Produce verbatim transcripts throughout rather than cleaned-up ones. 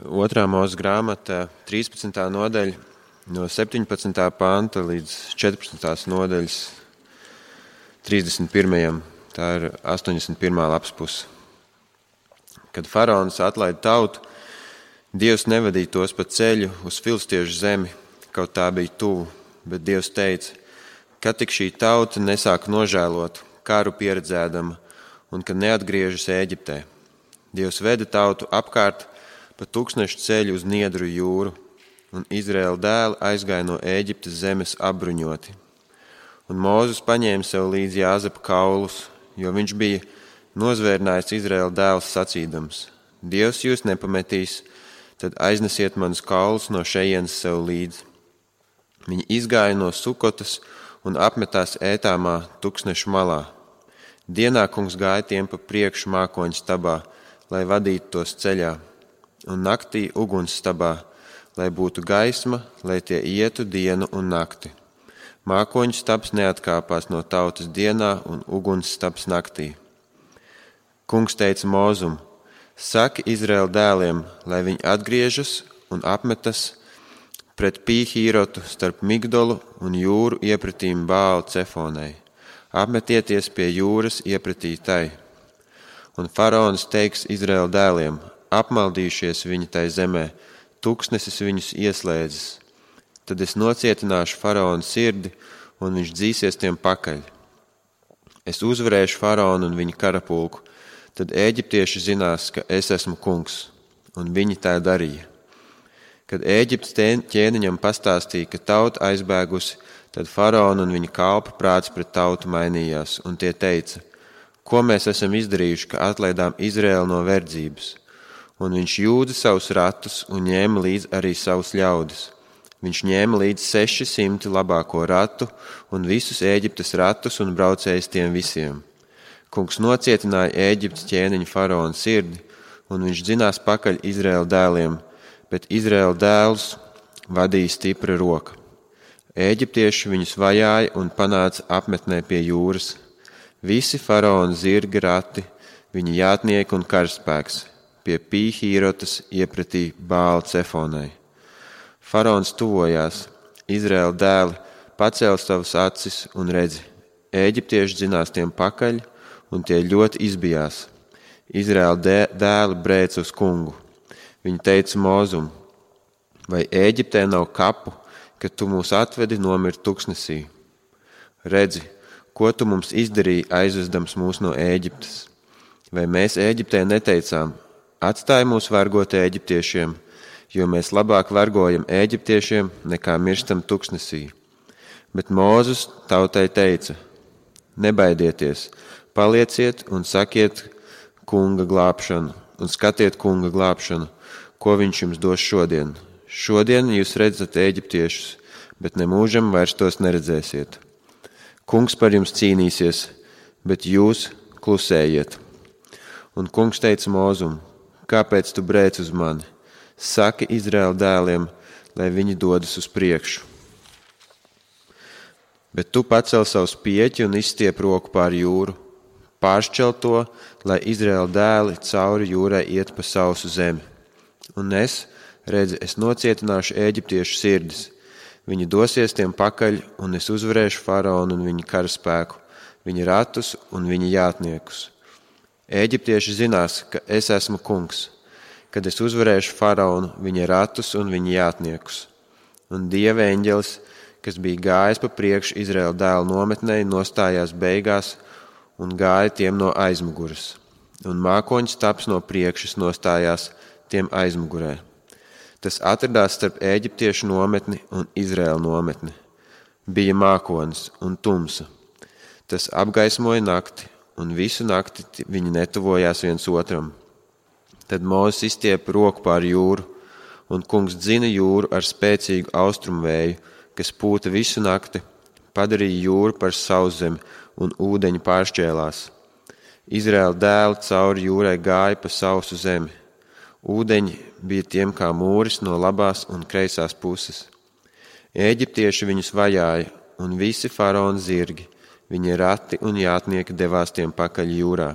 Otrā Mūzes grāmata, trīspadsmitā nodaļa, no septiņpadsmitā panta līdz četrpadsmitās nodaļas trīsdesmit pirmajam. Tā ir astoņdesmit pirmā lapas puse. Kad faraons atlaida tautu, Dievs nevadīja tos pa ceļu uz filistiešu zemi, kaut tā bija tuvu, bet Dievs teica, kad tik šī tauta nesāk nožēlot, kāru pieredzēdama, un kad neatgriežas Ēģiptē. Dievs veda tautu apkārt pa tūkstnešu ceļu uz Niedru jūru, un Izraēla dēli aizgāja no Ēģiptes zemes apbruņoti. Un Mūzes paņēma sev līdzi Jāzepa kaulus, jo viņš bija nozvērinājis Izraēla dēlus sacīdams: Dievs jūs nepametīs, tad aiznesiet manus kaulus no šejienes sev līdzi. Viņi izgāja no Sukotas un apmetās Ētāmā tūkstnešu malā. Dienā kungs gāja tiem pa priekšu mākoņu stabā, lai vadītu tos ceļā, un naktī uguns stabā, lai būtu gaisma, lai tie ietu dienu un nakti. Mākoņu stabs neatkāpās no tautas dienā un uguns stabs naktī. Kungs teica Mūzum: Saki Izraēla dēliem, lai viņi atgriežas un apmetas pret Pīhīrotu starp Migdolu un jūru iepratīm Bāla Cefonai. Apmetieties pie jūras iepratī tai. Un faraons teiks Izraēla dēliem: apmaldījušies viņi tai zemē, tūkstnesis viņus ieslēdzis. Tad es nocietināšu faraona sirdi, un viņš dzīsies tiem pakaļ. Es uzvarēšu faraonu un viņa karapulku, tad ēģiptieši zinās, ka es esmu kungs, un viņi tā darīja. Kad Ēģiptes ķēniņam pastāstīja, ka tauta aizbēgusi, tad faraona un viņa kalpa prāts pret tautu mainījās, un tie teica: ko mēs esam izdarījuši, ka atlaidām Izraēlu no verdzības? Un viņš jūda savus ratus un ņēma līdzi arī savus ļaudis. Viņš ņēma līdzi seši simti labāko ratu un visus Ēģiptes ratus un braucējus tiem visiem. Kungs nocietināja Ēģiptes ķēniņa faraona sirdi, un viņš dzinās pakaļ Izraēla dēliem, bet Izraēla dēlus vadīja stipra roka. Ēģiptieši viņus vajāja un panāca apmetnē pie jūras. Visi faraona zirga rati, viņa jātnieki un karaspēks, pie Pīhīrotas iepratī Bāla Cefonai. Faraons tuvojās, Izraēla dēli pacēla savas acis un redzi, Ēģiptieši dzinās tiem pakaļ, un tie ļoti izbijās. Izraēla dēli brēca uz kungu. Viņi teica Mūzum: vai Ēģiptē nav kapu, kad tu mūs atvedi nomirt tuksnesī? Redzi, ko tu mums izdarīji, aizvedams mūs no Ēģiptes? Vai mēs Ēģiptē neteicām: atstāj mūs vergot Ēģiptiešiem, jo mēs labāk vergojam Ēģiptiešiem, nekā mirstam tuksnesī? Bet Mūzes tautai teica: nebaidieties, palieciet un sakiet kunga glābšanu, un skatiet kunga glābšanu, ko viņš jums dos šodien. Šodien jūs redzat Ēģiptiešus, bet nemūžam vairs tos neredzēsiet. Kungs par jums cīnīsies, bet jūs klusējiet. Un kungs teica Mūzum: kāpēc tu brēc uz mani? Saki Izraēla dēliem, lai viņi dodas uz priekšu. Bet tu pacel savu spieķi un izstiep roku pār jūru. Pāršķel to, lai Izraēla dēli cauri jūrai iet pa sausu zemi. Un es, redzi, es nocietināšu Ēģiptiešu sirdis. Viņi dosies tiem pakaļ, un es uzvarēšu faraonu un viņa karaspēku, viņa ratus un viņa jātniekus. Ēģiptieši zinās, ka es esmu kungs, kad es uzvarēšu faraonu, viņa ratus un viņa jātniekus. Un Dieva eņģelis, kas bija gājis pa priekšu Izraēla dēlu nometnei, nostājās beigās un gāja tiem no aizmuguras. Un mākoņu stabs no priekšas nostājās tiem aizmugurē. Tas atradās starp Ēģiptiešu nometni un Izraēla nometni. Bija mākonis un tumsa. Tas apgaismoja nakti, un visu nakti viņi netuvojās viens otram. Tad Mūzes izstiepa roku pār jūru, un kungs dzina jūru ar spēcīgu austrumu vēju, kas pūta visu nakti, padarīja jūru par sauszemi, un ūdeņi pāršķēlās. Izraēla dēli cauri jūrai gāja pa sausu zemi. Ūdeņi bija tiem kā mūris no labās un kreisās puses. Ēģiptieši viņus vajāja, un visi faraona zirgi, viņa rati un jātnieki devās tiem pakaļ jūrā.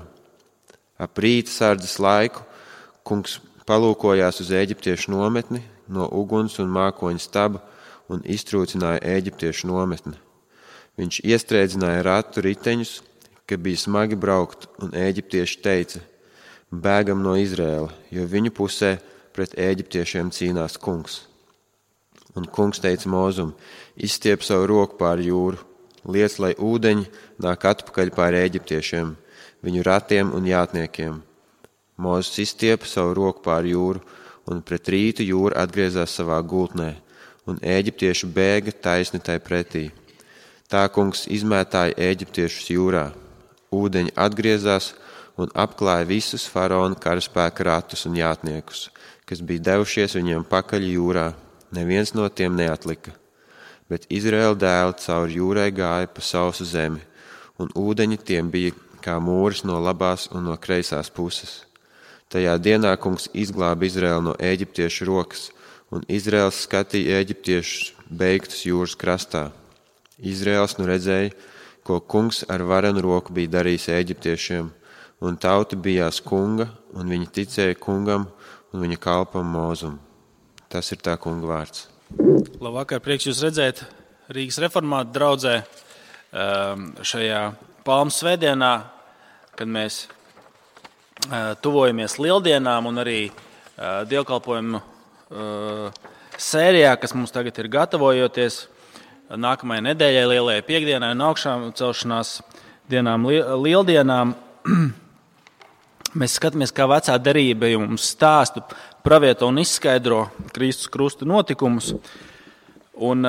Ap rīta sardzes laiku kungs palūkojās uz eģiptiešu nometni no uguns un mākoņa staba un iztrūcināja eģiptiešu nometni. Viņš iestrēdzināja ratu riteņus, ka bija smagi braukt, un eģiptieši teica: bēgam no Izraēla, jo viņu pusē pret eģiptiešiem cīnās kungs. Un kungs teica Mozum: izstiep savu roku pār jūru, liec, lai ūdeņi nāk atpakaļ pār eģiptiešiem, viņu ratiem un jātniekiem. Mozus izstiepa savu roku pār jūru, un pret rītu jūra atgriezās savā gultnē, un eģiptieši bēga taisni tai pretī. Tā kungs izmētāja eģiptiešus jūrā. Ūdeņi atgriezās un apklāja visus faraona karaspēka ratus un jātniekus, kas bija devušies viņiem pakaļ jūrā. Neviens no tiem neatlika. Bet Izraēla dēli cauri jūrai gāja pa sausu zemi, un ūdeņi tiem bija kā mūris no labās un no kreisās puses. Tajā dienā kungs izglāba Izraēlu no eģiptiešu rokas, un Izraēls skatīja eģiptiešus beigtus jūras krastā. Izraēls nu redzēja, ko kungs ar varenu roku bija darījis eģiptiešiem, un tauta bijās kunga, un viņi ticēja kungam un viņa kalpam Mozum. Tas ir tā kunga vārds. Labvakar, prieks jūs redzēt Rīgas reformātu draudzē šajā Palmu svētdienā, kad mēs tuvojamies lieldienām un arī dievkalpojumu sērijā, kas mums tagad ir gatavojoties nākamajai nedēļai, lielajai piekdienai un augšām celšanās dienām, lieldienām. Mēs skatāmies, kā vecā derība mums stāsta, pravieto un izskaidro Kristus krusta notikumus. Un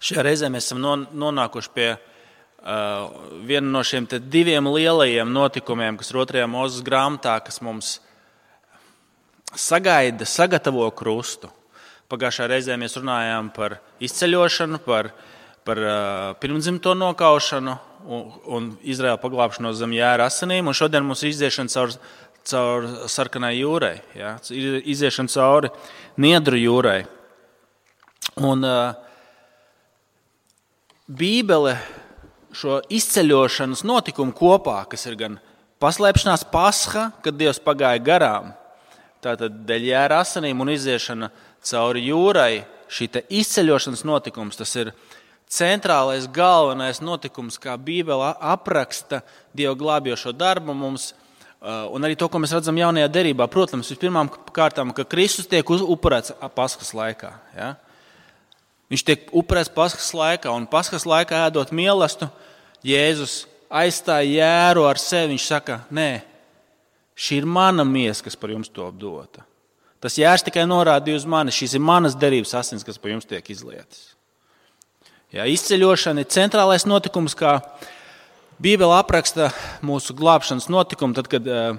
šajā reizē mēs esam nonākuši pie uh, viena no šiem te diviem lielajiem notikumiem, kas ir otrajā Mūzes grāmatā, kas mums sagaida, sagatavo krustu. Pagājušā reizē mēs runājām par izceļošanu, par, par uh, pirmdzimto nokaušanu un, un Izraēla paglābšanos zem jēra asinīm, un šodien mums ir iziešana caur, caur sarkanai jūrai, ja? Iziešana cauri Niedru jūrai. Un uh, Bībele šo izceļošanas notikumu kopā, kas ir gan paslēpšanās Pasha, kad Dievs pagāja garām, tātad dēļ jēra asinīm un iziešana cauri jūrai, šī te izceļošanas notikums, tas ir centrālais, galvenais notikums, kā Bībele apraksta Dieva glābjošo darbu mums, un arī to, ko mēs redzam jaunajā derībā. Protams, vispirmām kārtām, ka Kristus tiek upurēts Paskas laikā. Ja? Viņš tiek upurēts Paskas laikā, un Paskas laikā ēdot mielastu, Jēzus aizstāja jēru ar sevi. Viņš saka, nē, šī ir mana miesa, kas par jums top dota. Tas jērs tikai norādīja uz mani, šīs ir manas derības asins, kas par jums tiek izlietas. Ja, izceļošana ir centrālais notikums, kā Bībele apraksta mūsu glābšanas notikumu, tad, kad uh,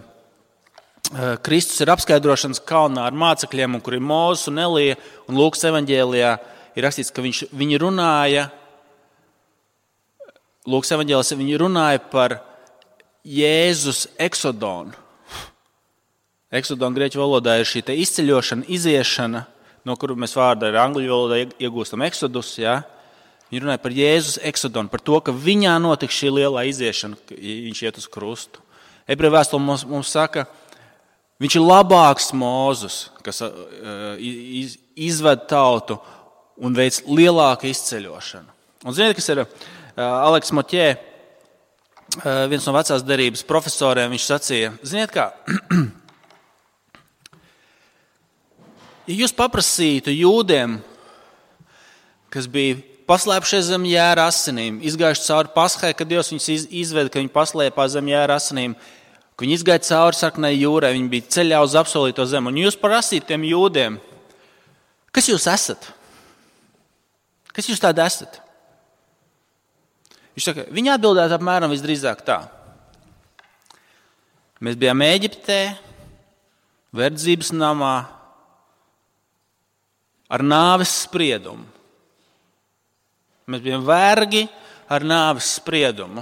Kristus ir apskaidrošanas kalnā ar mācekļiem, un kur ir Mūzes un Elija, un Lūkas evaņģēlijā ir rakstīts, ka viņš, viņi runāja, Lūkas evaņģēlijā viņi runāja par Jēzus eksodonu. Eksodona grieķu valodā ir šī te izceļošana, iziešana, no kuru mēs vārdā ar angļu valodā iegūstam eksodus, ja? Viņi runāja par Jēzus eksodonu, par to, ka viņā notiks šī lielā iziešana, ka viņš iet uz krustu. Ebreju vēstule mums, mums saka, viņš ir labāks Mūzes, kas uh, iz, izved tautu un veic lielāku izceļošanu. Un ziniet, kas ir uh, Aleks Moķē, uh, viens no vecās derības profesoriem, viņš sacīja, ziniet kā, ja jūs paprasītu jūdiem, kas bija paslēpušies zem jēra asinīm, izgājuši cauri Pashai, kad Dievs viņus izveda, ka viņi paslēpā zem jēra asinīm, ka viņi izgāja cauri sarkanai jūrai, viņi bija ceļā uz apsolīto zemi. Un jūs prasītu tiem jūdiem, kas jūs esat? Kas jūs tādi esat? Viņš saka, viņi atbildētu apmēram visdrīzāk tā. Mēs bijām Ēģiptē, verdzības namā, ar nāves spriedumu. Mēs bijām vergi ar nāves spriedumu.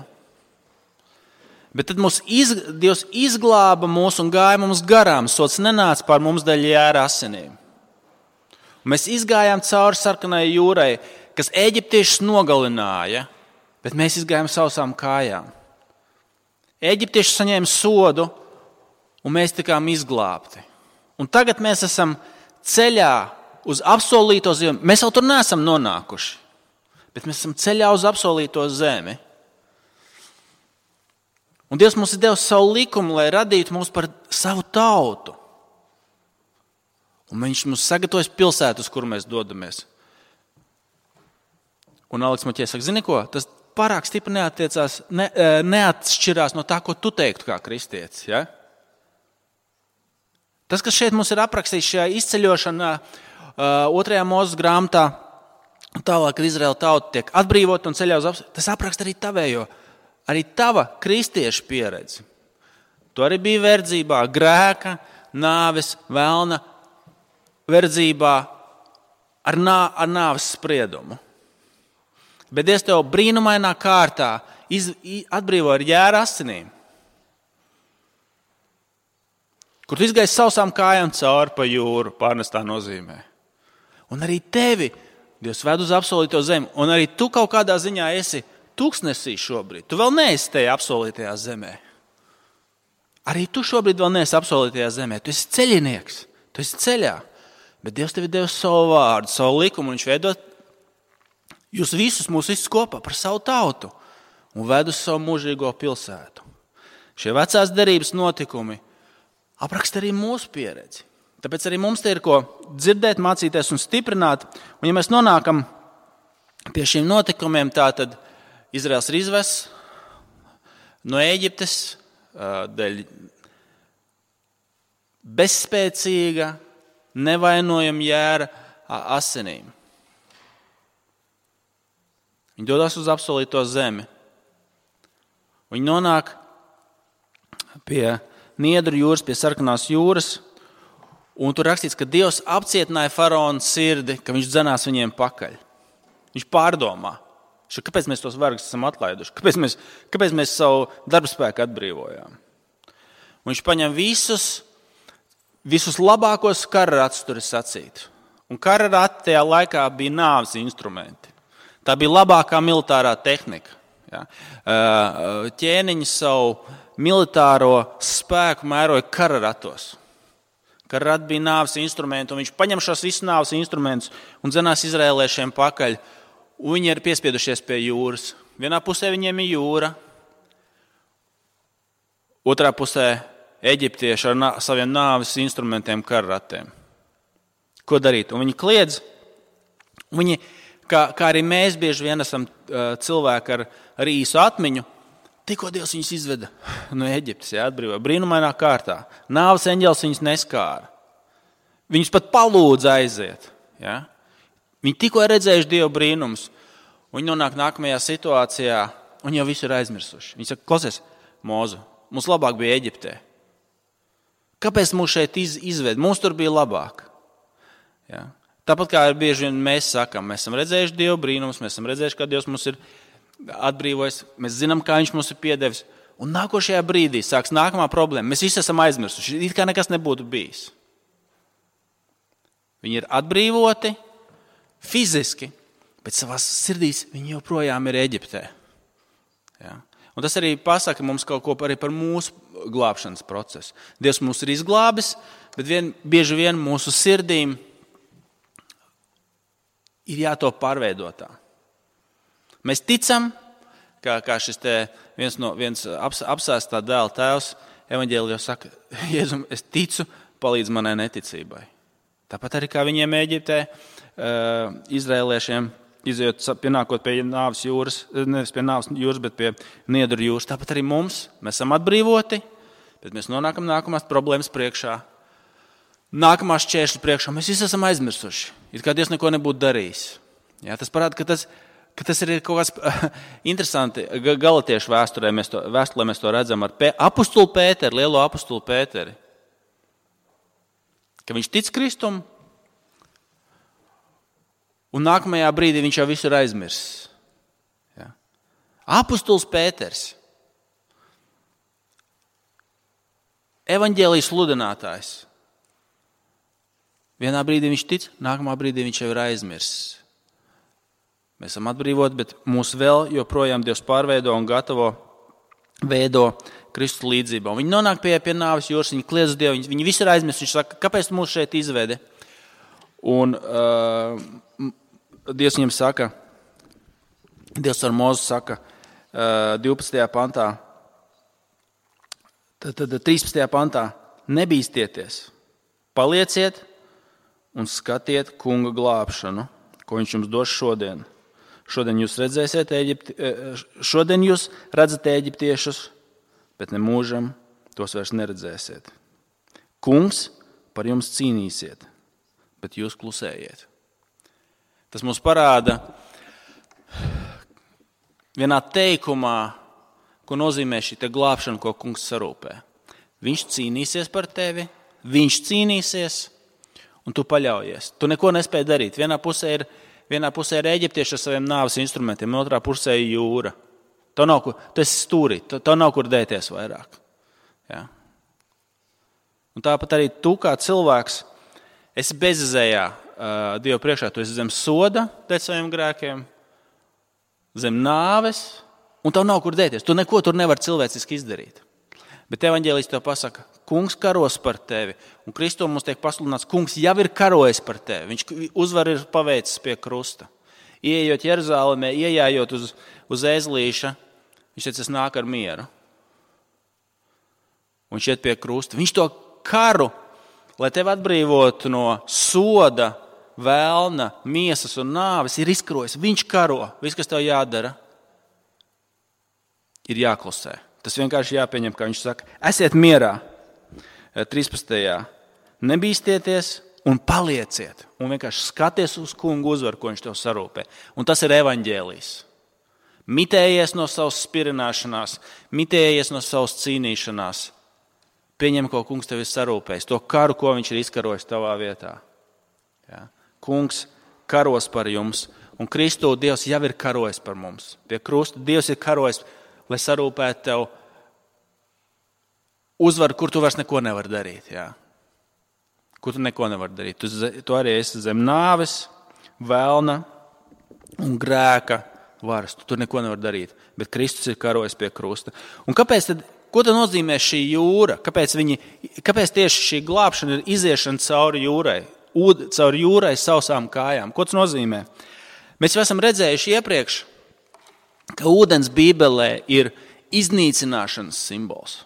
Bet tad mūs iz, Dievs izglāba mūs un gāja mums garām. Sots nenāca pār mums dēļ jēra asinīm. Un mēs izgājām cauri sarkanai jūrai, kas eģiptiešus nogalināja, bet mēs izgājām sausām kājām. Eģiptieši saņēma sodu, un mēs tikām izglābti. Un tagad mēs esam ceļā uz apsolīto zemi. Mēs vēl tur neesam nonākuši, bet mēs esam ceļā uz apsolīto zemi. Un Dievs mums ir devis savu likumu, lai radītu mūs par savu tautu. Un viņš mums sagatavojas pilsētu, uz kuru mēs dodamies. Un Aleks Maķies saka, zini ko, tas pārāk stipri neattiecās, ne, neatšķirās no tā, ko tu teiktu kā kristietis. Ja? Tas, kas šeit mums ir aprakstīts šajā izceļošanā, otrajā Mūzes grāmatā, tālāk, kad Izraēla tauta tiek atbrīvota un ceļā uz apsolīto, tas apraksta arī tavējo, arī tava kristiešu pieredzi. Tu arī biji verdzībā, grēka, nāves, velna verdzībā ar, nā, ar nāves spriedumu. Bet Dievs tev brīnumainā kārtā iz, atbrīvo ar jēra asinīm, kur tu izgāji sausām kājām cauri pa jūru, pārnestā nozīmē. Un arī tevi Dievs ved uz apsolīto zemi, un arī tu kaut kādā ziņā esi tūkstnesī šobrīd. Tu vēl neesi tajā apsolītajā zemē. Arī tu šobrīd vēl neesi apsolītajā zemē. Tu esi ceļinieks, tu esi ceļā. Bet Dievs tev ir devis savu vārdu, savu likumu, un viņš veido jūs visus, mūs visus kopā par savu tautu un ved uz savu mūžīgo pilsētu. Šie vecās derības notikumi apraksta arī mūsu pieredzi. Tāpēc arī mums te ir ko dzirdēt, mācīties un stiprināt. Un ja mēs nonākam pie šiem notikumiem, tā tad Izraels ir izvests no Ēģiptes dēļ bezspēcīga, nevainojama jēra asinīm. Viņi dodas uz apsolīto zemi. Viņi nonāk pie Niedru jūras, pie Sarkanās jūras, un tur rakstīts, ka Dievs apcietināja faraona sirdi, ka viņš dzenās viņiem pakaļ. Viņš pārdomā, kāpēc mēs tos vergus esam atlaiduši, kāpēc mēs, kāpēc mēs savu darbspēku atbrīvojām. Un viņš paņem visus, visus labākos kara ratus, tur ir sacīt. Un kara rati tajā laikā bija nāves instrumenti. Tā bija labākā militārā tehnika. Ja? Ķēniņi savu militāro spēku mēroja kara ratos. Kara rati bija nāves instrumenti, un viņš paņem šos visus nāves instrumentus un dzenās izrēliešiem pakaļ. Un viņi ir piespiedušies pie jūras. Vienā pusē viņiem ir jūra, otrā pusē eģiptieši ar nā, saviem nāves instrumentiem kara ratiem. Ko darīt? Un viņi kliedz. Viņi, kā, kā arī mēs bieži vien esam uh, cilvēki ar, ar īsu atmiņu, tikko Dievs viņus izveda no Eģiptes, ja, atbrīvoja brīnumainā kārtā. Nāves eņģelis viņus neskāra. Viņus pat palūdza aiziet. Ja. Viņi tikko ir redzējuši Dieva brīnumus. Viņi nonāk nākamajā situācijā un jau visu ir aizmirsuši. Viņi saka, klausies, Mūzu, mums labāk bija Eģiptē. Kāpēc mūs šeit iz, izved? Mums tur bija labāk. Ja. Tāpat kā bieži vien mēs sakam, mēs esam redzējuši Dieva brīnumus, mēs esam redzējuši, kā Dievs mums ir atbrīvojis, mēs zinām, kā viņš mums ir piedevis, un nākošajā brīdī sāks nākamā problēma. Mēs visi esam aizmirsuši, it kā nekas nebūtu bijis. Viņi ir atbrīvoti fiziski, bet savās sirdīs viņi joprojām ir Eģiptē. Ja? Un tas arī pasaka mums kaut ko arī par mūsu glābšanas procesu. Dievs mūs ir izglābis, bet vien, bieži vien mūsu sirdīm ir jātop pārveidotā. Mēs ticam, kā, kā šis te viens, no, viens aps, apsēstā dēla tēvs evaņģēlijos saka, Jēzum, es ticu, palīdz manai neticībai. Tāpat arī kā viņiem Eģiptē, uh, izrēliešiem, izejot, pienākot pie nāves jūras, nevis pie nāves jūras, bet pie Niedru jūras. Tāpat arī mums, mēs esam atbrīvoti, bet mēs nonākam nākamās problēmas priekšā. Nākamās šķēršļu priekšā mēs visi esam aizmirsuši. It kā Dievs neko nebūtu darījis. Jā, tas parāda, ka tas ka tas ir kaut kas interesanti. Galatiešu vēsturē mēs to, vēstulē mēs to redzam ar pē, apustulu Pēteri, lielo apustulu Pēteri. Ka viņš tic Kristum, un nākamajā brīdī viņš jau visu ir aizmirsis. Ja? Apustuls Pēters, evaņģēlijas sludinātājs. Vienā brīdī viņš tic, nākamā brīdī viņš jau ir aizmirsis. Mēs esam atbrīvoti, bet mūs vēl joprojām Dievs pārveido un gatavo veido Kristus līdzībā. Viņi nonāk pie, pie nāves jūras, viņi kliedz uz Dievu, viņi, viņi visi ir aizmirst. Viņš saka, kāpēc tu mūs šeit izvedi? Un uh, Dievs viņiem saka, Dievs ar Mozu saka uh, divpadsmitajā pantā, tad, tad trīspadsmitajā pantā, nebīstieties, palieciet un skatiet kunga glābšanu, ko viņš jums dos šodien. Šodien jūs redzēsiet Ēģipti, šodien jūs redzat eģiptiešus, bet ne mūžam tos vairs neredzēsiet. Kungs par jums cīnīsiet, bet jūs klusējiet. Tas mums parāda vienā teikumā, ko nozīmē šī te glābšana, ko kungs sarūpē. Viņš cīnīsies par tevi, viņš cīnīsies, un tu paļaujies. Tu neko nespēj darīt. Vienā pusē ir Vienā pusē ir eģiptieši ar saviem nāves instrumentiem, otrā pusē ir jūra. Tev nav kur, tu esi stūrī, tev nav kur dēties vairāk. Ja? Un tāpat arī tu kā cilvēks esi bezizējā uh, Dieva priekšā. Tu esi zem soda dēļ saviem grēkiem, zem nāves, un tev nav kur dēties. Tu neko tur nevar cilvēciski izdarīt. Bet evaņģēlijs tev pasaka, kungs karos par tevi. Un Kristu mums tiek pasludināts, kungs jau ir karojis par tevi. Viņš uzvaru ir paveicis pie krusta. Ieejot Jeruzālemē, iejājot uz, uz ēzlīša, viņš teica, es nāk ar mieru. Un viņš iet pie krusta. Viņš to karu, lai tevi atbrīvotu no soda, vēlna, miesas un nāves, ir izkarojis. Viņš karo. Viss, kas tev jādara, ir jāklusē. Tas vienkārši jāpieņem, kā viņš saka, esiet mierā. trīspadsmitajā Nebīstieties un palieciet. Un vienkārši skaties uz kungu uzvaru, ko viņš tev sarūpē. Un tas ir evaņģēlijs. Mitējies no savas spirināšanās, mitējies no savas cīnīšanās. Pieņem, ko kungs tev ir sarūpējis. To karu, ko viņš ir izkarojis tavā vietā. Ja? Kungs karos par jums. Un Kristu Dievs jau ir karojis par mums. Pie krusta Dievs ir karojis, lai sarūpētu tev uzvaru, kur tu vairs neko nevar darīt. Jā. Kur tu neko nevar darīt. Tu, tu arī esi zem nāves, vēlna un grēka varas. Tu tur neko nevar darīt. Bet Kristus ir karojis pie krusta. Un kāpēc tad, ko tad nozīmē šī jūra? Kāpēc, viņi, kāpēc tieši šī glābšana ir iziešana cauri jūrai? Ūd, cauri jūrai sausām kājām. Ko tas nozīmē? Mēs jau esam redzējuši iepriekš, ka ūdens Bībelē ir iznīcināšanas simbols.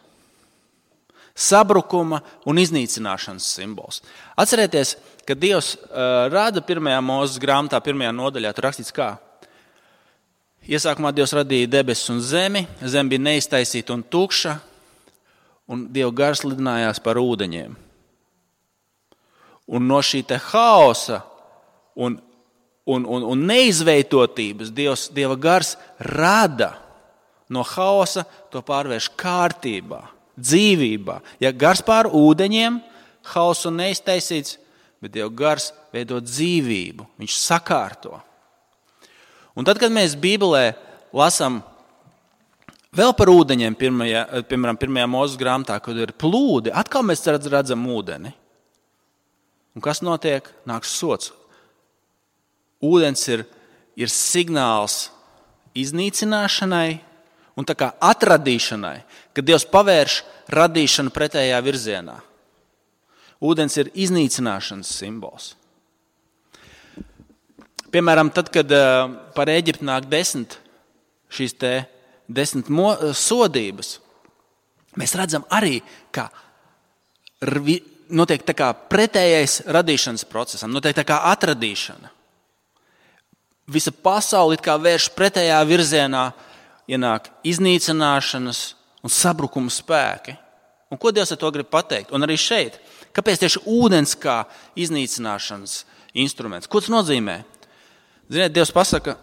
Sabrukuma un iznīcināšanas simbols. Atcerieties, ka Dievs uh, rada pirmajā Mūzes grāmatā, pirmajā nodaļā, tur rakstīts kā? Iesākumā Dievs radīja debesis un zemi, zeme bija neiztaisīta un tukša, un Dieva gars lidinājās par ūdeņiem. Un no šī te haosa un Un, un, un neizveidotības Dievs, Dieva gars rada no haosa, to pārvērš kārtībā, dzīvībā. Ja gars pār ūdeņiem, haosu neiztaisīts, bet Dieva gars veido dzīvību, viņš sakārto. Un tad, kad mēs Bībelē lasām vēl par ūdeņiem, pirmajā, piemēram, pirmajā Mūzes grāmatā, kad ir plūdi, atkal mēs redzam ūdeni. Un kas notiek? Nāks sods. Ūdens ir, ir signāls iznīcināšanai un tā kā atradīšanai, kad Dievs pavērš radīšanu pretējā virzienā. Ūdens ir iznīcināšanas simbols. Piemēram, tad, kad par Ēģipti nāk desmit šīs te desmit mo, sodības, mēs redzam arī, ka notiek tā kā pretējais radīšanas procesam, notiek tā kā atradīšana. Visa pasaule it kā vērš pretējā virzienā, ienāk iznīcināšanas un sabrukuma spēki. Un ko Dievs ar to grib pateikt? Un arī šeit, kāpēc tieši ūdens kā iznīcināšanas instruments? Ko tas nozīmē? Ziniet, Dievs pasaka,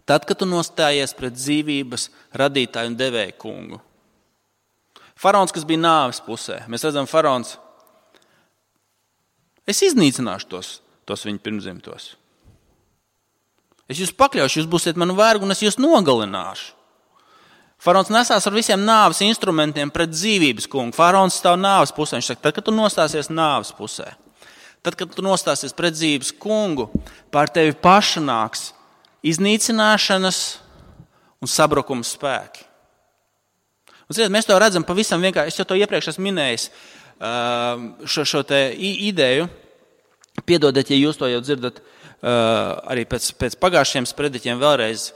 tad, kad tu nostājies pret dzīvības radītāju un devēju kungu. Faraons, kas bija nāves pusē, mēs redzam, faraons, es iznīcināšu tos, tos viņu pirmzimtos. Es jūs pakļaušu, jūs būsiet manu vergu un es jūs nogalināšu. Faraons nesās ar visiem nāves instrumentiem pret dzīvības kungu. Faraons stāv nāves pusē. Viņš saka, tad, kad tu nostāsies nāves pusē, tad, kad tu nostāsies pret dzīvības kungu, pār tevi paša nāks iznīcināšanas un sabrukuma spēki. Un, ziniet, mēs to redzam pavisam vienkārši. Es jau to iepriekš esmu minējis, šo, šo te ideju. Piedodiet, ja jūs to jau dzirdat arī pēc, pēc pagājušiem sprediķiem vēlreiz.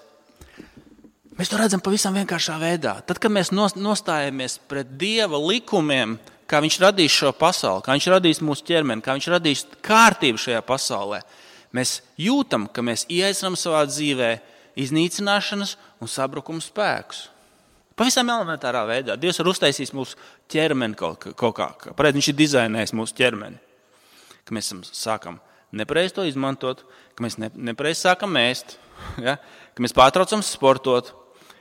Mēs to redzam pavisam vienkāršā veidā. Tad, kad mēs nostājamies pret Dieva likumiem, kā viņš radīs šo pasauli, kā viņš radīs mūsu ķermeni, kā viņš radīs kārtību šajā pasaulē, mēs jūtam, ka mēs ieaicinām savā dzīvē iznīcināšanas un sabrukuma spēkus. Pavisam elementārā veidā. Dievs ir uztaisījis mūsu ķermeni kaut, kaut kā. Pareizi, viņš ir dizainējis mūsu ķermeni. Ka mēs sākam nepareizi to izmantot, ka mēs ne, nepareizi sākam ēst, ja? Ka mēs pārtraucam sportot,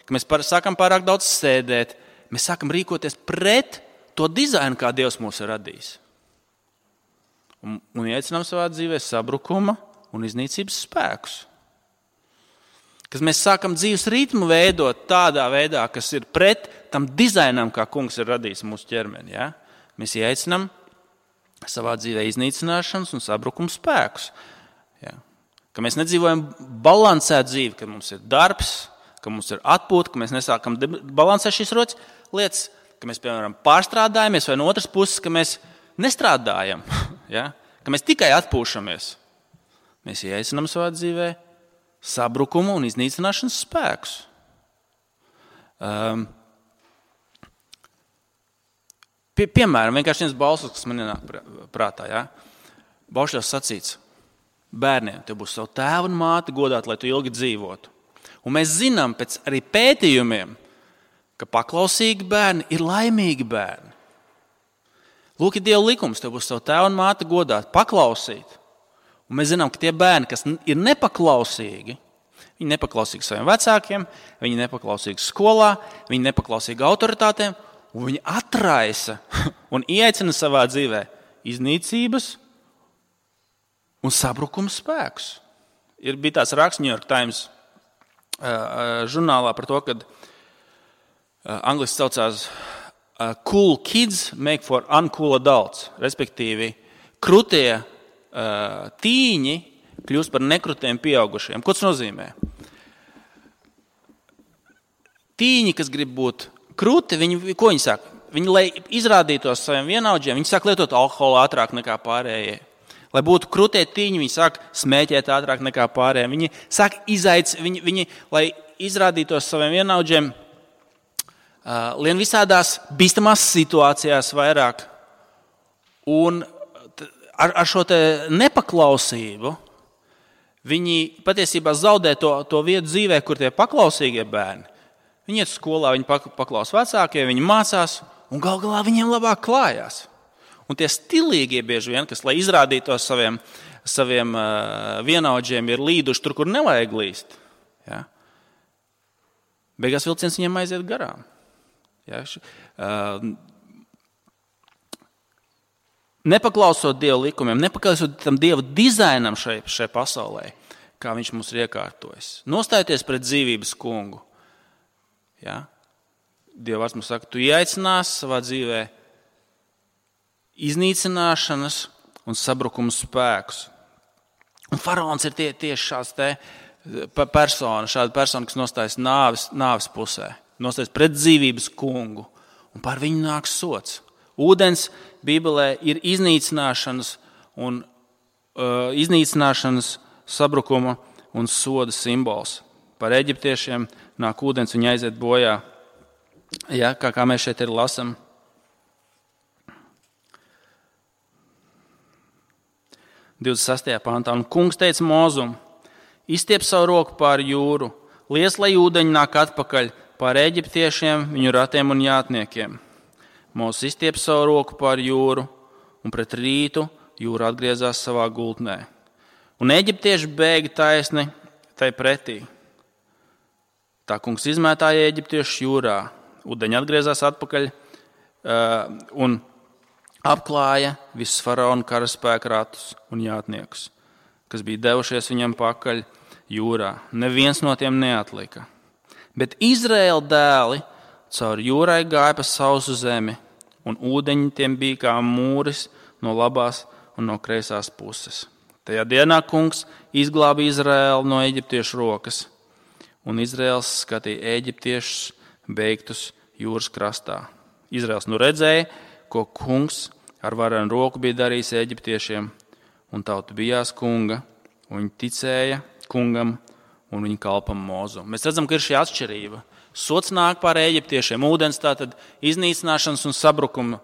ka mēs par, sākam pārāk daudz sēdēt. Mēs sākam rīkoties pret to dizainu, kā Dievs mūs ir radījis. Un, un iecinām savā dzīvē sabrukuma un iznīcības spēkus. Kad mēs sākam dzīves ritmu veidot tādā veidā, kas ir pret tam dizainam, kā kungs ir radījis mūsu ķermeni. Ja? Mēs iecinām savā dzīvē iznīcināšanas un sabrukuma spēkus. Ja? Ka mēs nedzīvojam balansēt dzīvi, kad mums ir darbs, ka mums ir atpūta, ka mēs nesākam balansēt šīs rotas lietas, ka mēs, piemēram, pārstrādājamies, vai no otras puses, ka mēs nestrādājam, ja? Ka mēs tikai atpūšamies. Mēs ieaicinām savā dzīvē sabrukumu un iznīcināšanas spēkus. Um, pie, piemēram, vienkārši viens balsos, kas man ienāk prātā. Ja? Baušļos sacīts, bērniem, tev būs savu tēvu un māti godāt, lai tu ilgi dzīvotu. Un mēs zinām pēc arī pētījumiem, ka paklausīgi bērni ir laimīgi bērni. Lūk, ir Dieva likums, tev būs savu tēvu un māti godāt, paklausīt. Un mēs zinām, ka tie bērni, kas ir nepaklausīgi, viņi nepaklausīgi saviem vecākiem, viņi nepaklausīgi skolā, viņi nepaklausīgi autoritātēm, un viņi atraisa un ieaicina savā dzīvē iznīcības un sabrukuma spēkus. Ir bija tāds raksts New York Times uh, žurnālā par to, kad uh, angliski saucās uh, cool kids make for uncool adults, respektīvi krutie uh, tīņi kļūst par nekrutiem pieaugušiem. Ko tas nozīmē? Tīņi, kas grib būt kruti, viņi, ko viņi saka? Viņi, lai izrādītos saviem vienaudžiem, viņi sāk lietot alkoholu ātrāk nekā pārējie. Lai būtu krutie tīņi, viņi sāk smēķēt ātrāk nekā pārējie. Viņi sāk izaic, viņi, viņi, lai izrādītos saviem vienaudžiem, uh, lien visādās bīstamās situācijās vairāk. Un ar, ar šo te nepaklausību viņi patiesībā zaudē to, to vietu dzīvē, kur tie paklausīgie bērni. Viņi iet skolā, viņi paklaus vecākiem, viņi mācās, un gal galā viņiem labāk klājās. Un tie stilīgie bieži vien, kas, lai izrādītos saviem, saviem uh, vienaudžiem, ir līduši tur, kur nevajag līst. Ja? Beigās vilciens viņiem aiziet garām. Ja? Uh, nepaklausot Dieva likumiem, nepaklausot tam Dieva dizainam šai, šai pasaulē, kā viņš mums ir iekārtojis. Nostājoties pret dzīvības kungu. Ja? Dieva vārds mums saka, tu ieaicinās savā dzīvē iznīcināšanas un sabrukuma spēkus. Un faraons ir tie, tieši šāds te persona, šāda persona, kas nostājas nāves, nāves pusē, nostājas pret dzīvības kungu, un par viņu nāks sots. Ūdens Bībelē ir iznīcināšanas un uh, iznīcināšanas sabrukuma un soda simbols. Par eģiptiešiem nāk ūdens, viņi aiziet bojā. Ja, kā, kā mēs šeit ir lasam. divdesmit sastajā pantā. Un kungs teica Mozum, izstiep savu roku pār jūru, liec, lai ūdeņi nāk atpakaļ pār eģiptiešiem, viņu ratiem un jātniekiem. Mozes izstiep savu roku pār jūru, un pret rītu jūra atgriezās savā gultnē. Un eģiptieši bēga taisni tai pretī. Tā kungs izmētāja eģiptiešu jūrā, ūdeņi atgriezās atpakaļ uh, un apklāja visus faraona karaspēka ratus un jātniekus, kas bija devušies viņam pakaļ jūrā. Neviens no tiem neatlika. Bet Izraēla dēli caur jūrai gāja pa sausu zemi, un ūdeņi tiem bija kā mūris no labās un no kreisās puses. Tajā dienā kungs izglāba Izraēlu no eģiptiešu rokas, un Izraēls skatīja eģiptiešus beigtus jūras krastā. Izraels nu redzēja, ko kungs ar varenu roku bija darījis eģiptiešiem, un tauta bijās kunga, un viņi ticēja kungam, un viņi kalpa Mozu. Mēs redzam, ka ir šī atšķirība. Sots nāk pār eģiptiešiem, ūdens tātad iznīcināšanas un sabrukuma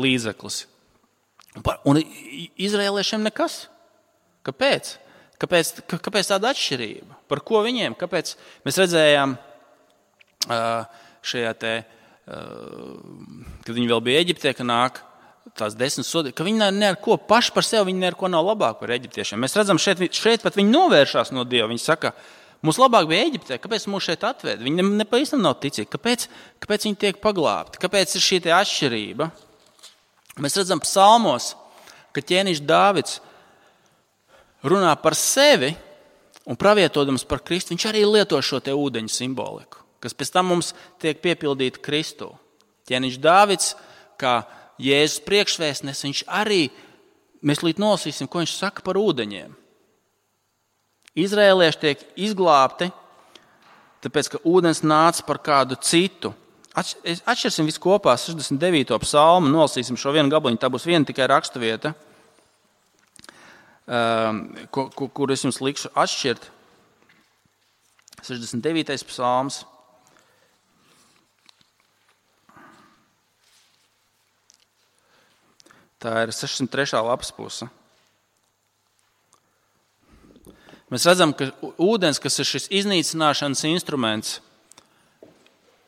līdzeklis. Un izraēliešiem nekas. Kāpēc? Kāpēc, kāpēc tāda atšķirība? Par ko viņiem? Kāpēc mēs redzējām šajā te, kad viņi vēl bija Eģiptē, ka nāk tās desmit sodi, ka viņi ne ar ko paši par sevi, viņi ne ar ko nav labāk par eģiptiešiem. Mēs redzam, šeit, šeit pat viņi novēršās no Dieva. Viņi saka, mums labāk bija Eģiptē, kāpēc mūs šeit atved? Viņi nepavisam nav ticīgi. Kāpēc, kāpēc viņi tiek paglābti? Kāpēc ir šī atšķirība? Mēs redzam psalmos, ka ķēniņš Dāvids runā par sevi un pravietodams par Kristu. Viņš arī lieto šo te ūdeņu simboliku, kas pēc tam mums tiek piepildīta Kristū. Ķēniņš Dāvids, kā Jēzus priekšvēstnes, viņš arī, mēs līdz nolasīsim, ko viņš saka par ūdeņiem. Izraēlieši tiek izglābti, tāpēc, ka ūdens nāca par kādu citu. Atšķirsim visu kopā, sešdesmit devīto psalmu, nolasīsim šo vienu gabaliņu, tā būs viena tikai raksturvieta, kur, kur es jums likšu atšķirt. sešdesmit devītais psalms. Tā ir sešsimt trešā lapas puse. Mēs redzam, ka ūdens, kas ir šis iznīcināšanas instruments,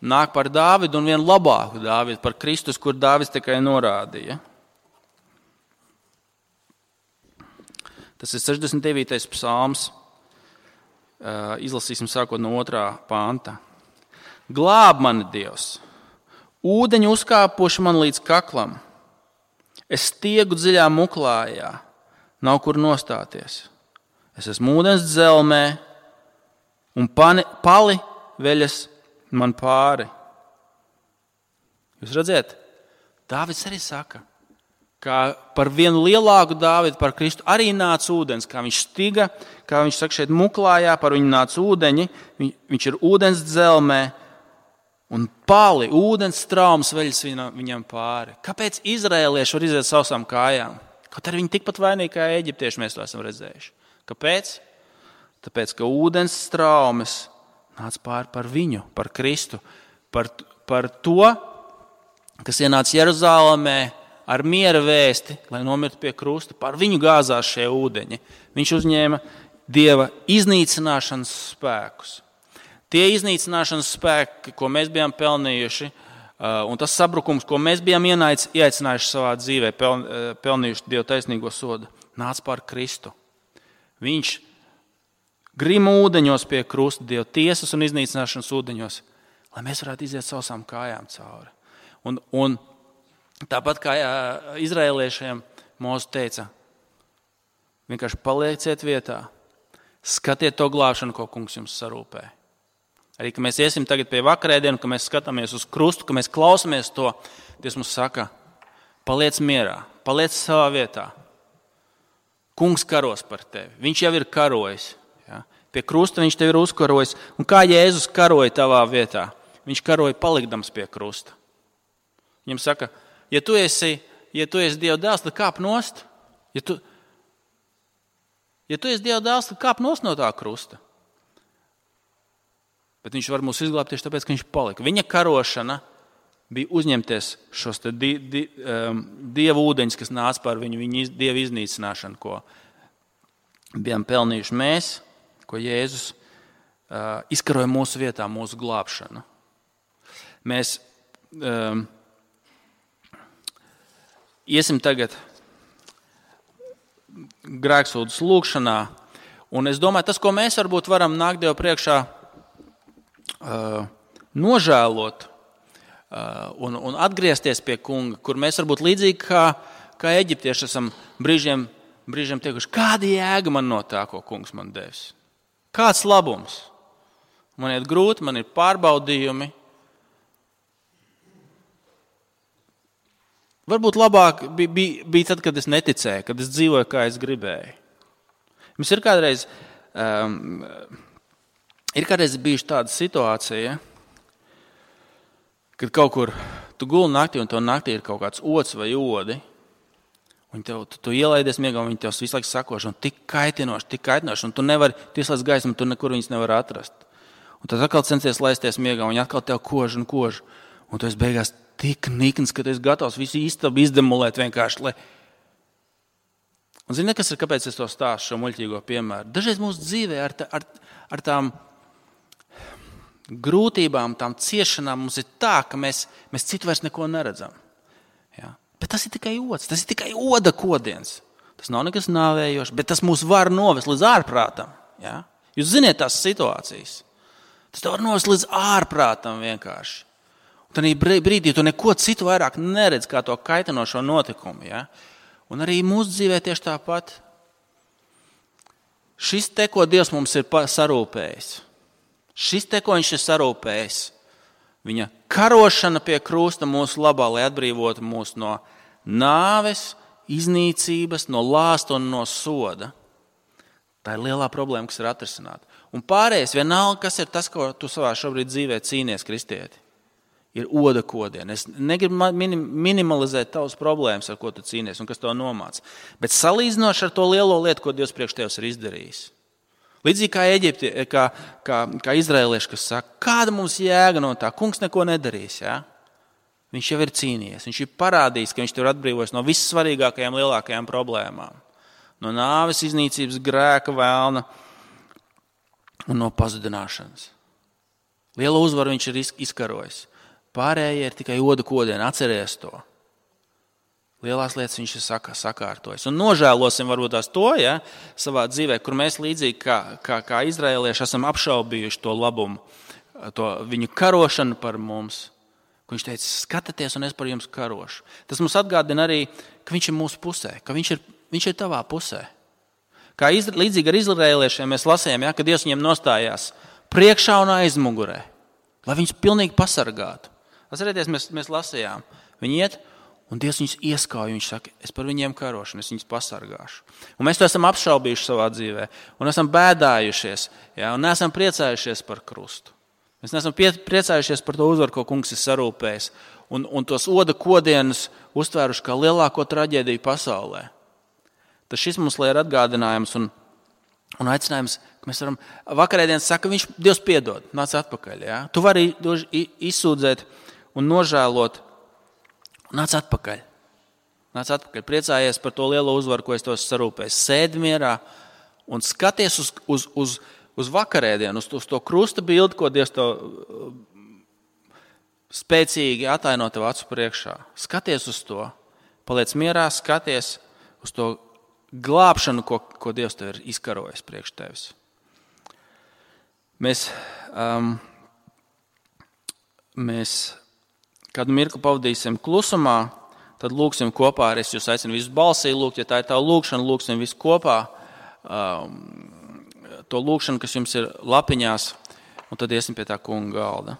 nāk par Dāvidu un vienu labāku Dāvidu, par Kristus, kur Dāvids tikai norādīja. Tas ir sešdesmit devītais psalms. Izlasīsim sākot no otrā panta. Glāb mani, Dievs! Ūdeņi uzkāpuši man līdz kaklam. Es stiegu dziļā muklājā, nav kur nostāties. Es esmu ūdens dzelmē, un pani, pali veļas man pāri. Jūs redzat, Dāvids arī saka, ka par vienu lielāku Dāvidu, par Kristu, arī nāca ūdens, kā viņš stiga, kā viņš saka šeit muklājā, par viņu nāca ūdeņi, viņš ir ūdens dzelmē, un pali, ūdens straums veļas viņam pāri. Kāpēc izraēlieši var iziet sausām kājām? Kaut arī viņi tikpat vainīgi kā eģiptieši mēs to esam redzējuši. Kāpēc? Tāpēc, ka ūdens straumes nāca pāri par viņu, par Kristu, par, par to, kas ienāca Jeruzālēmē ar miera vēsti, lai nomirtu pie krusta. Par viņu gāzās šie ūdeņi. Viņš uzņēma Dieva iznīcināšanas spēkus. Tie iznīcināšanas spēki, ko mēs bijām pelnījuši, un tas sabrukums, ko mēs bijām ieaicinājuši savā dzīvē, pelnījuši Dieva taisnīgo sodu, nāca pār Kristu. Viņš grima ūdeņos pie krusta, Dieva tiesas un iznīcināšanas ūdeņos, lai mēs varētu iziet sausām kājām cauri. Un, un tāpat kā izraēliešiem Mozus teica, vienkārši palieciet vietā, skatiet to glābšanu, ko kungs jums sarūpē. Arī, ka mēs iesim tagad pie vakarēdienu, ka mēs skatāmies uz krustu, ka mēs klausamies to, Dievs mums saka, paliec mierā, paliec savā vietā. Kungs karos par tevi, viņš jau ir karojis. Ja? Pie krusta viņš tevi ir uzkarojis. Un kā Jēzus karoja tavā vietā? Viņš karoja palikdams pie krusta. Viņam saka, ja tu esi, ja tu esi Dieva dēls, tad kāp nost. Ja tu, ja tu esi Dieva dēls, tad kāp nost no tā krusta. Bet viņš var mūs izglābt tieši tāpēc, ka viņš palika. Viņa karošana bija uzņemties šos te di, di, um, Dieva ūdeņus, kas nāca par viņu, viņa iz, Dieva iznīcināšanu, ko bijām pelnījuši mēs, ko Jēzus uh, izkaroja mūsu vietā, mūsu glābšanu. Mēs um, iesim tagad grēksūdas lūgšanā, un es domāju, tas, ko mēs varbūt varam nākt Dievu priekšā, Uh, nožēlot uh, un, un atgriezties pie kunga, kur mēs varbūt līdzīgi kā, kā eģiptieši esam brīžiem, brīžiem teikuši, kāda jēga man no tā, ko kungs man devis? Kāds labums? Man iet grūti, man ir pārbaudījumi. Varbūt labāk bija, bija, bija tad, kad es neticēju, kad es dzīvoju, kā es gribēju. Mums ir kādreiz... Um, Ir kādreiz bijuši tāda situācija, kad kaut kur tu guli naktī, un to naktī ir kaut kāds ots vai odi, un tev, tu, tu ielaidies miegā, un viņi tev visu laiku sakoši, un tik kaitinoši, tik kaitinoši, un tu nevari, tu ieslēdz gaismu, tu nekur viņus nevar atrast. Un tad atkal centies laisties miegā, un viņi atkal tev kož un kož, un tu esi beigās tik nikns, ka tu esi gatavs visu istabu izdemolēt vienkārši, lai... Un zini, kas ir, kāpēc es to stāstu, šo muļķīgo piemēru? Dažreiz mūsu dzīvē ar, tā, ar, ar tām grūtībām, tām ciešanām mums ir tā, ka mēs, mēs citu vairs neko neredzam. Ja? Bet tas ir tikai ods, tas ir tikai oda kodiens. Tas nav nekas nāvējošs, bet tas mūs var novest līdz ārprātam. Ja? Jūs ziniet tās situācijas. Tas tev var novest līdz ārprātam vienkārši. Un tad brīdī tu neko citu vairāk neredz kā to kaitinošo notikumu. Ja? Un arī mūsu dzīvē tieši tāpat. Šis te, ko Dievs mums ir sarūpējis, šis te, ko viņš ir sarūpējis, viņa karošana pie krusta mūsu labā, lai atbrīvotu mūs no nāves, iznīcības, no lāsta un no soda. Tā ir lielā problēma, kas ir atrisināta. Un pārējais, vienalga, kas ir tas, ko tu savā šobrīd dzīvē cīnies, kristieti, ir oda kodiena. Es negribu minimalizēt tavas problēmas, ar ko tu cīnies un kas to nomāc. Bet salīdzinoši ar to lielo lietu, ko Dievs priekš tevis ir izdarījis. Līdzīgi kā Eģipti, kā, kā, kā izraelieši, kas saka, kāda mums jēga no tā, kungs neko nedarīs. Ja? Viņš jau ir cīnījies, viņš ir parādījis, ka viņš tev ir atbrīvojis no vissvarīgākajām, lielākajām problēmām. No nāves, iznīcības, grēka, vēlna un no pazudināšanas. Lielu uzvaru viņš ir izkarojis. Pārējie ir tikai oda kodiena, atceries to. Lielās lietas viņš ir saka, sakārtojis. Un nožēlosim varbūt tās to, ja, savā dzīvē, kur mēs līdzīgi kā, kā, kā izraelieši esam apšaubījuši to labumu, to viņu karošanu par mums. Viņš teica, skatieties, un es par jums karošu. Tas mums atgādina arī, ka viņš ir mūsu pusē, ka viņš ir, viņš ir tavā pusē. Kā izra, līdzīgi ar izraeliešiem mēs lasījām, ja, ka Dievs viņiem nostājās priekšā un aizmugurē, lai viņus pilnīgi pasargātu. Atcerieties, mēs, mēs lasījām. Viņi iet, un Dievs viņus ieskauj. Viņš saka, es par viņiem karošu, un es viņus pasargāšu. Un mēs to esam apšaubījuši savā dzīvē, un esam bēdājušies, ja, un neesam priecājušies par krustu. Mēs neesam pie, priecājušies par to uzvaru, ko kungs ir sarūpējis, un, un tos oda kodienus uztvēruši kā lielāko traģēdiju pasaulē. Tas šis mums lai ir atgādinājums un, un aicinājums, ka mēs varam, vakarēdienas saka, viņš Dievs piedod, nāc atpakaļ. Ja? Tu vari izsūdzēt un nožēlot, un nāc atpakaļ. Nāc atpakaļ, priecājies par to lielo uzvaru, ko es tos sarūpēju. Sēdi mierā un skaties uz, uz, uz, uz vakarēdienu, uz, uz to krusta bildi, ko Dievs to spēcīgi ataino tev acu priekšā. Skaties uz to, paliec mierā, skaties uz to glābšanu, ko, ko Dievs tev ir izkarojis priekš tevis. Mēs, um, mēs kādu mirkli pavadīsim klusumā, tad lūksim kopā, arī es jūs aicinu visus balsī lūgt, ja tā ir tā lūkšana, lūksim visu kopā, um, to lūkšanu, kas jums ir lapiņās, un tad iesim pie tā kunga galda.